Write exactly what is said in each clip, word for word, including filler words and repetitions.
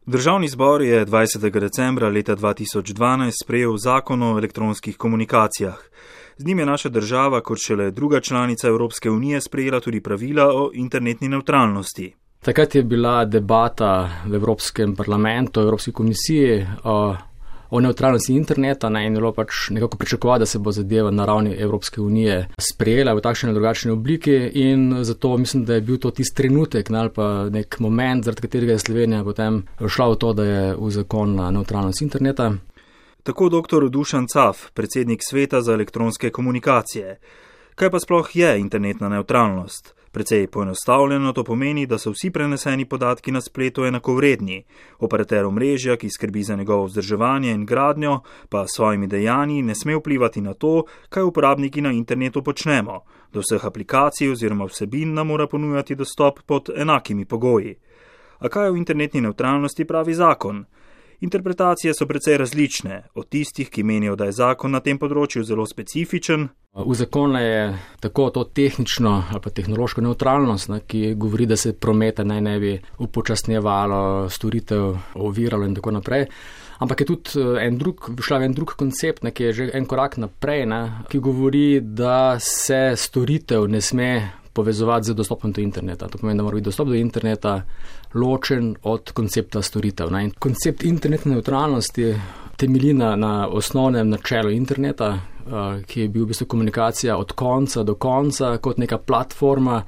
Državni zbor je dvajsetega decembra leta dva tisoč dvanajst sprejel zakon o elektronskih komunikacijah. Z njim je naša država kot šele druga članica Evropske unije sprejela tudi pravila o internetni nevtralnosti. Takrat je bila debata v Evropskem parlamentu, v Evropski komisiji o, o nevtralnosti interneta, ne, in je bilo pač nekako pričakovati, da se bo zadeva na ravni Evropske unije sprejela v takšni ali drugačni obliki, in zato mislim, da je bil to tisti trenutek, ne, ali pa nek moment, zaradi katerega je Slovenija potem šla v to, da je uzakonila nevtralnost interneta. Tako doktor Dušan Caf, predsednik Sveta za elektronske komunikacije. Kaj pa sploh je internetna nevtralnost? Precej poenostavljeno to pomeni, da so vsi preneseni podatki na spletu enakovredni. Operater omrežja, ki skrbi za njegovo vzdrževanje in gradnjo, pa s svojimi dejanji ne sme vplivati na to, kaj uporabniki na internetu počnemo. Do vseh aplikacij oziroma vsebin nam mora ponujati dostop pod enakimi pogoji. A kaj o internetni nevtralnosti pravi zakon? Interpretacije so precej različne, od tistih, ki menijo, da je zakon na tem področju zelo specifičen. V zakonu je tako to tehnično ali pa tehnološko nevtralnost, ne, ki govori, da se prometa naj ne bi upočasnjevalo, storitev oviralo in tako naprej. Ampak je tudi en drug, šla en drug koncept, ne, ki je že en korak naprej, ne, ki govori, da se storitev ne sme povezovati z dostopom do interneta. To pomeni, da mora biti dostop do interneta ločen od koncepta storitev. Ne. In koncept internetne nevtralnosti temelji na, na osnovnem načelu interneta, uh, ki je bil v bistvu komunikacija od konca do konca kot neka platforma,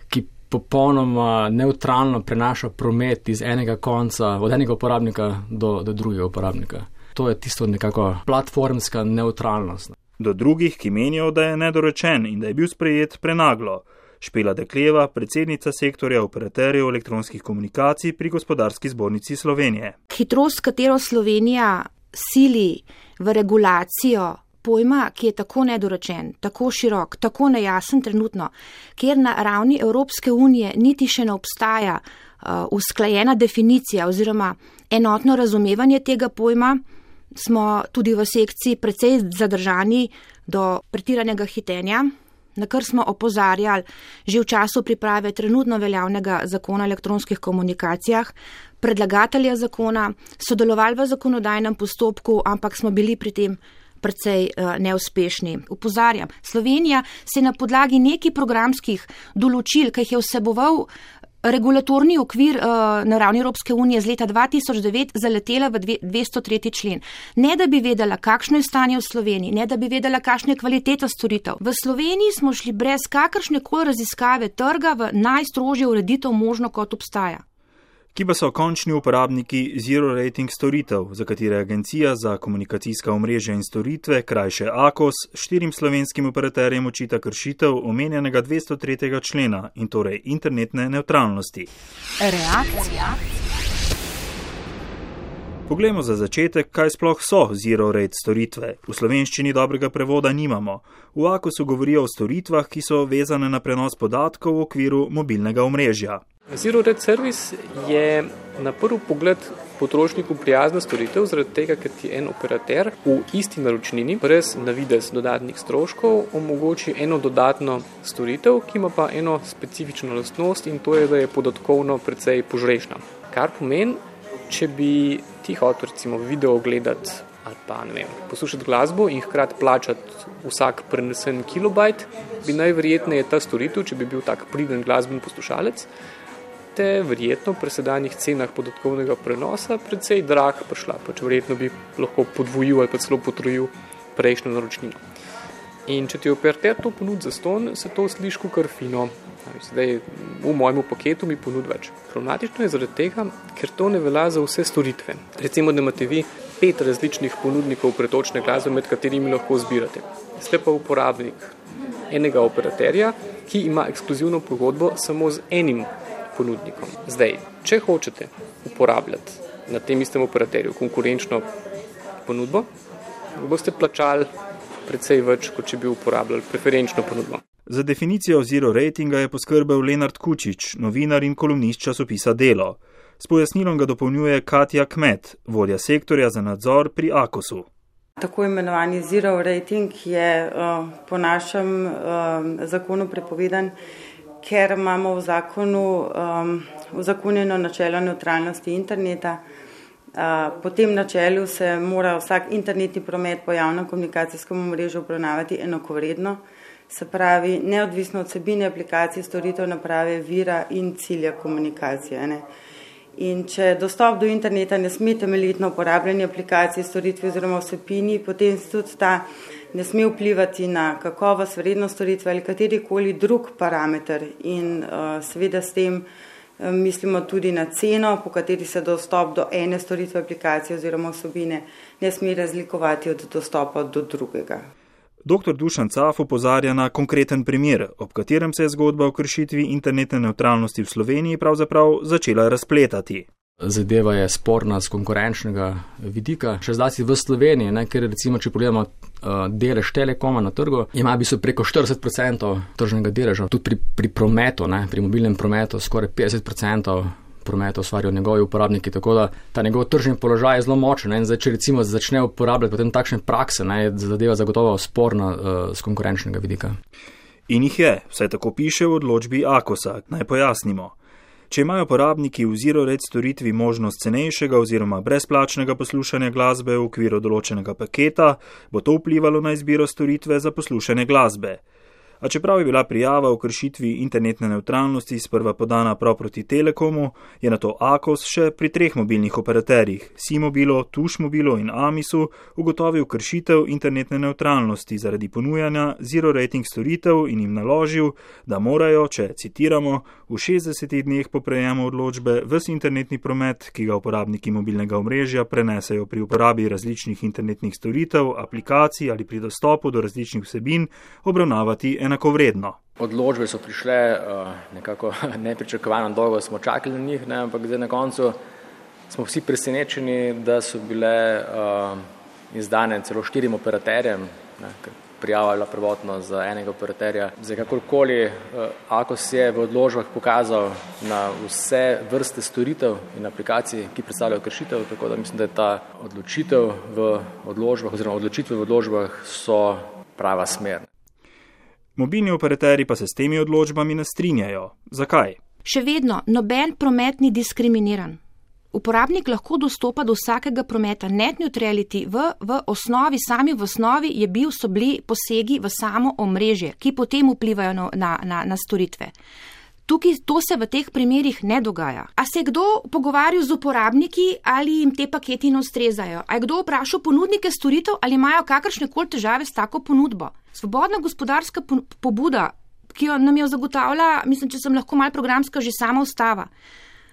ki popolnoma nevtralno prenaša promet iz enega konca, od enega uporabnika do, do drugega uporabnika. To je tisto nekako platformska nevtralnost. Do drugih, ki menijo, da je nedorečen in da je bil sprejet prenaglo. Špela Dekleva, predsednica sektorja operaterjev elektronskih komunikacij pri Gospodarski zbornici Slovenije. Hitrost, katero Slovenija sili v regulacijo pojma, ki je tako nedorečen, tako širok, tako nejasen trenutno, kjer na ravni Evropske unije niti še ne obstaja uh, usklajena definicija oziroma enotno razumevanje tega pojma, smo tudi v sekciji precej zadržani do pretiranega hitenja, na kar smo opozarjali že v času priprave trenutno veljavnega zakona o elektronskih komunikacijah, predlagatelja zakona, sodelovali v zakonodajnem postopku, ampak smo bili pri tem precej uh, neuspešni. Upozarjam, Slovenija se na podlagi nekih programskih določil, ki jih je vseboval regulatorni okvir uh, na ravni Evropske unije z leta dva tisoč devet, zaletela v dvesto tretji člen. Ne da bi vedela, kakšno je stanje v Sloveniji, ne da bi vedela, kakšna je kvaliteta storitev. V Sloveniji smo šli brez kakršne koli raziskave trga v najstrožjo ureditev možno, kot obstaja. Ki pa so končni uporabniki zero rating storitev, za katere Agencija za komunikacijska omrežja in storitve, krajše AKOS, štirim slovenskim operaterjem očita kršitev omenjenega dvesto tretjega člena in torej internetne nevtralnosti. Reakcija. Poglejmo za začetek, kaj sploh so zero rate storitve. V slovenščini dobrega prevoda nimamo. V AKOSu govorijo o storitvah, ki so vezane na prenos podatkov v okviru mobilnega omrežja. Zero rate service je na prvi pogled potrošniku prijazna storitev, zaradi tega, ker ti en operater v isti naročnini, brez na videz dodatnih stroškov, omogoči eno dodatno storitev, ki ima pa eno specifično lastnost, in to je, da je podatkovno precej požrešna. Kar pomeni, če bi ti hotel recimo video gledati ali pa ne vem, poslušati glasbo in hkrati plačati vsak prenesen kilobajt, bi najverjetneje ta storitev, če bi bil tak priden glasben poslušalec, te verjetno pri sedanjih cenah podatkovnega prenosa precej drag prišla, pač verjetno bi lahko podvojil ali pa celo potrojil prejšnjo naročnino. In če ti operater to ponudi za ston, se to sliši kar fino. Zdaj v mojemu paketu mi ponudi več. Problematično je zaradi tega, ker to ne velja za vse storitve. Recimo, da imate vi pet različnih ponudnikov pretočne glasbe, med katerimi lahko zbirate. Ste pa uporabnik enega operaterja, ki ima ekskluzivno pogodbo samo z enim ponudnikom. Zdaj, če hočete uporabljati na tem istem operaterju konkurenčno ponudbo, boste plačali precej več, kot če bi uporabljali preferenčno ponudbo. Za definicijo zero ratinga je poskrbel Lenart Kučič, novinar in kolumnist časopisa Delo. S pojasnilom ga dopolnjuje Katja Kmet, vodja sektorja za nadzor pri AKOSu. Tako imenovani zero rating je uh, po našem uh, zakonu prepovedan, ker imamo v zakonu um, uzakonjeno načelo nevtralnosti interneta. Po tem načelu se mora vsak internetni promet po javnem komunikacijskem omrežju obravnavati enakovredno, se pravi neodvisno od vsebine aplikacije, storitev, naprave, vira in cilja komunikacije. Ne? In če dostop do interneta ne sme temeljiti na uporabljanju aplikacije, storitve oziroma vsebini, potem tudi ta ne sme vplivati na kakovost, vrednost storitve ali katerikoli drug parameter in uh, seveda s tem um, mislimo tudi na ceno, po kateri se dostop do ene storitve aplikacije oziroma vsebine ne sme razlikovati od dostopa do drugega. Doktor Dušan Caf opozarja na konkreten primer, ob katerem se je zgodba o kršitvi internetne nevtralnosti v Sloveniji pravzaprav začela razpletati. Zadeva je sporna z konkurenčnega vidika, še zlasti v Sloveniji, ne, ker recimo, če pogledamo uh, delež Telekoma na trgu, ima v bistvu preko štirideset procentov tržnega deleža, tudi pri, pri prometu, ne, pri mobilnem prometu skoraj petdeset procentov prometa ustvarjajo njegovi uporabniki, tako da ta njegov tržni položaj je zelo močen. Ne, in zdaj, če recimo začne uporabljati potem takšne prakse, ne, je zadeva zagotovo sporna uh, z konkurenčnega vidika. In jih je, vsaj tako piše v odločbi Akosa, naj pojasnimo. Če imajo uporabniki v ZeroRate storitvi možnost cenejšega oziroma brezplačnega poslušanja glasbe v okviru določenega paketa, bo to vplivalo na izbiro storitve za poslušanje glasbe. A čeprav je bila prijava o kršitvi internetne nevtralnosti sprva podana prav proti Telekomu, je na to Akos še pri treh mobilnih operaterjih, Simobilo, Tušmobilo in Amisu, ugotovil kršitev internetne nevtralnosti zaradi ponujanja zero-rating storitev in jim naložil, da morajo, če citiramo, v šestdesetih dneh po prejemu odločbe ves internetni promet, ki ga uporabniki mobilnega omrežja prenesejo pri uporabi različnih internetnih storitev, aplikacij ali pri dostopu do različnih vsebin, obravnavati enakovredno. Odločbe so prišle uh, nekako nepričakovano dolgo, smo čakali na njih, ne, ampak zdaj na koncu smo vsi presenečeni, da so bile uh, izdane celo štirim operaterjem, ne, ker prijava je bila prvotno za enega operaterja. Zdaj kakorkoli uh, Akos je v odločbah pokazal na vse vrste storitev in aplikacij, ki predstavljajo kršitev, tako da mislim, da je ta odločitev v odločbah oziroma odločitve v odločbah so prava smer. Mobilni operaterji pa se s temi odločbami ne strinjajo. Zakaj? Še vedno noben promet ni diskriminiran. Uporabnik lahko dostopa do vsakega prometa. Net neutrality v, v osnovi, sami v osnovi je bil, so bili posegi v samo omrežje, ki potem vplivajo na, na, na, na storitve. Tukaj to se v teh primerih ne dogaja. A se je kdo pogovarjal z uporabniki ali jim te paketi ne ustrezajo? A je kdo vprašal ponudnike storitev ali imajo kakršne koli težave s tako ponudbo? Svobodna gospodarska pobuda, ki jo nam jo zagotavlja, mislim, če sem lahko malo programska, že sama ustava,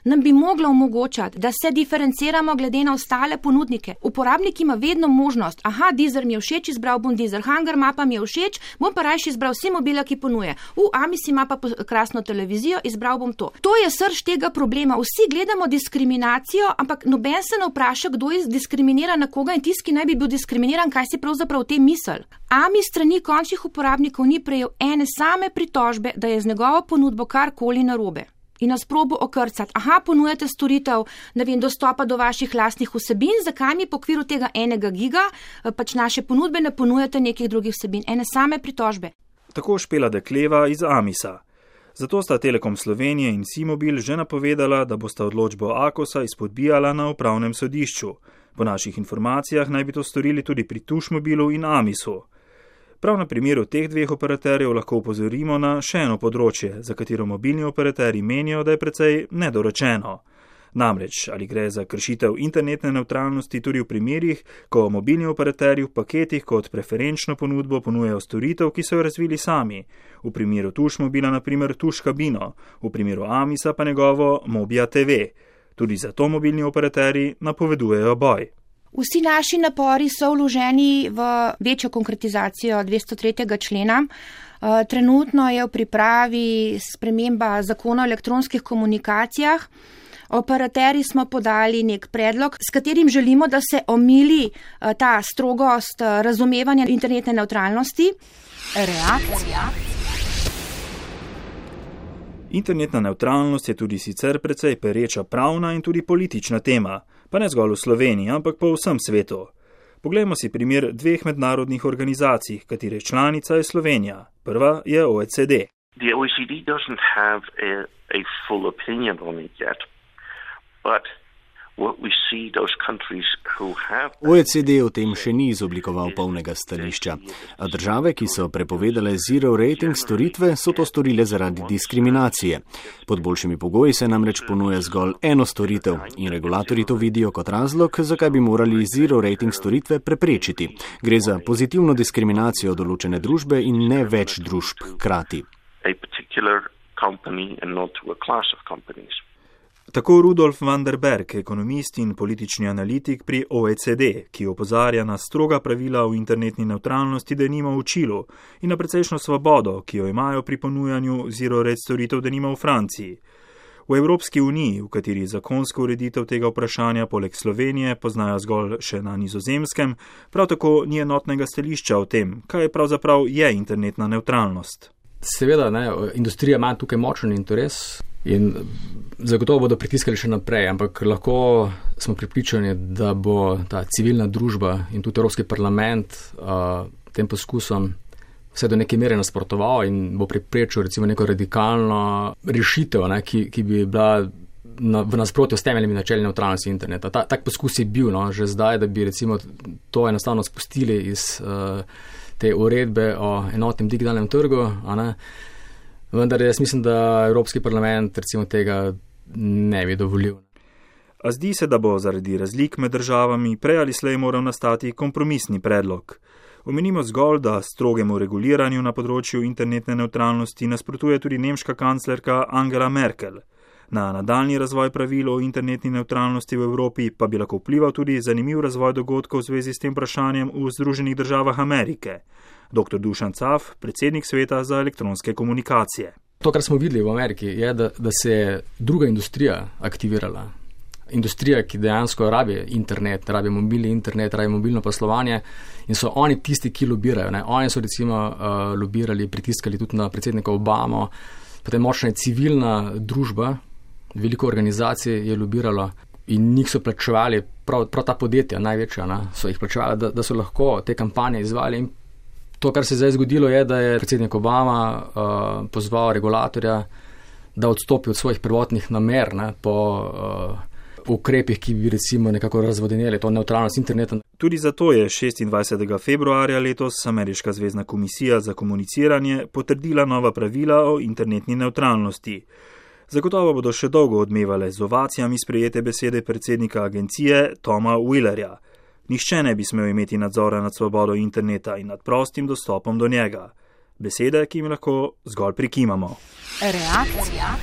nam bi mogla omogočati, da se diferenciramo glede na ostale ponudnike. Uporabnik ima vedno možnost, aha, Deezer mi je všeč, izbral bom Deezer, Hunger Mapa mi je všeč, bom pa rajši izbral Simobila, ki ponuje. U, Amis ima pa krasno televizijo, izbral bom to. To je srž tega problema. Vsi gledamo diskriminacijo, ampak noben se ne vpraša, kdo je diskriminiran na koga in tisti, ki naj bi bil diskriminiran, kaj si pravzaprav v tem misel. Amis strani končnih uporabnikov ni prejel ene same pritožbe, da je z njegovo ponudbo karkoli narobe. In nas probo okrcati. Aha, ponujate storitev, ne vem, dostopa do vaših lastnih vsebin, zakaj mi po okviru tega enega giga pač naše ponudbe ne ponujate nekih drugih vsebin. Ene same pritožbe. Tako Špela Dekleva iz Amisa. Zato sta Telekom Slovenije in Simobil že napovedala, da bosta odločbo Akosa izpodbijala na upravnem sodišču. Po naših informacijah naj bi to storili tudi pri Tušmobilu in Amisu. Prav na primeru teh dveh operaterjev lahko upozorimo na še eno področje, za katero mobilni operaterji menijo, da je precej nedorečeno. Namreč, ali gre za kršitev internetne nevtralnosti tudi v primerih, ko mobilni operaterji v paketih kot preferenčno ponudbo ponujajo storitev, ki so jo razvili sami. V primeru Tušmobila na primer Tuš kabino, v primeru Amisa pa njegovo Mobia T V. Tudi zato mobilni operaterji napovedujejo boj. Vsi naši napori so vloženi v večjo konkretizacijo dvesto tretjega člena. Trenutno je v pripravi sprememba zakona o elektronskih komunikacijah. Operaterji smo podali nek predlog, s katerim želimo, da se omili ta strogost razumevanja internetne nevtralnosti. Reakcija. Internetna nevtralnost je tudi sicer precej pereča pravna in tudi politična tema, pa ne zgolj v Sloveniji, ampak po vsem svetu. Poglejmo si primer dveh mednarodnih organizacij, katere članica je Slovenija. Prva je O E C D. The O E C D doesn't have a a full opinion on it yet, but what we see those countries who have O E C D o tem še ni izoblikoval polnega stališča, a države, ki so prepovedale zero rating storitve, so to storile zaradi diskriminacije. Pod boljšimi pogoji se namreč ponuja zgolj eno storitev in regulatorji to vidijo kot razlog, zakaj bi morali zero rating storitve preprečiti. Gre za pozitivno diskriminacijo določene družbe in ne več družb hkrati. a particular company and not to a class of companies. Tako Rudolf van der Berg, ekonomist in politični analitik pri O E C D, ki opozarja na stroga pravila o internetni nevtralnosti denimo v Čilu in na precejšno svobodo, ki jo imajo pri ponujanju zero rate storitev denimo v Franciji. V Evropski uniji, v kateri zakonsko ureditev tega vprašanja poleg Slovenije poznajo zgolj še na Nizozemskem, prav tako ni enotnega stališča o tem, kaj pravzaprav je internetna nevtralnost. Seveda, ne, industrija ima tukaj močen interes in zagotovo bodo pritiskali še naprej, ampak lahko smo pripričani, da bo ta civilna družba in tudi Evropski parlament uh, tem poskusom vse do neke mere nasprotoval in bo preprečil recimo neko radikalno rešitev, ne, ki, ki bi bila na, v nasprotju s temeljnimi načeli nevtralnosti interneta. Ta, tak poskus je bil, no, že zdaj, da bi recimo to enostavno spustili iz uh, te uredbe o enotnem digitalnem trgu, a ne. Vendar jaz mislim, da Evropski parlament recimo tega ne bi dovolil. A zdi se, da bo zaradi razlik med državami prej ali slej moral nastati kompromisni predlog. Omenimo zgolj, da strogemu reguliranju na področju internetne nevtralnosti nasprotuje tudi nemška kanclerka Angela Merkel. Na nadaljnji razvoj pravil o internetni nevtralnosti v Evropi pa bi lahko vplival tudi zanimiv razvoj dogodkov v zvezi s tem vprašanjem v Združenih državah Amerike. doktor Dušan Caf, predsednik Sveta za elektronske komunikacije. To, kar smo videli v Ameriki, je, da, da se je druga industrija aktivirala. Industrija, ki dejansko rabi internet, rabi mobilni internet, rabi mobilno poslovanje in so oni tisti, ki lobirajo. Ne? Oni so recimo uh, lobirali, pritiskali tudi na predsednika Obamo, potem močna je civilna družba, veliko organizacij je lobiralo in njih so plačevali, prav, prav ta podjetja, največja, ne? So jih plačevali, da, da so lahko te kampanje izvali. In to, kar se je zdaj zgodilo, je, da je predsednik Obama uh, pozval regulatorja, da odstopi od svojih prvotnih namer, ne, po uh, ukrepih, ki bi recimo nekako razvodenili to nevtralnost interneta. Tudi zato je šestindvajsetega februarja letos Ameriška zvezna komisija za komuniciranje potrdila nova pravila o internetni nevtralnosti. Zagotovo bodo še dolgo odmevale z ovacijami sprejete besede predsednika agencije Toma Wheelerja. Nihče ne bi smel imeti nadzora nad svobodo interneta in nad prostim dostopom do njega. Besede, ki jim lahko zgolj prikimamo. Reakcija.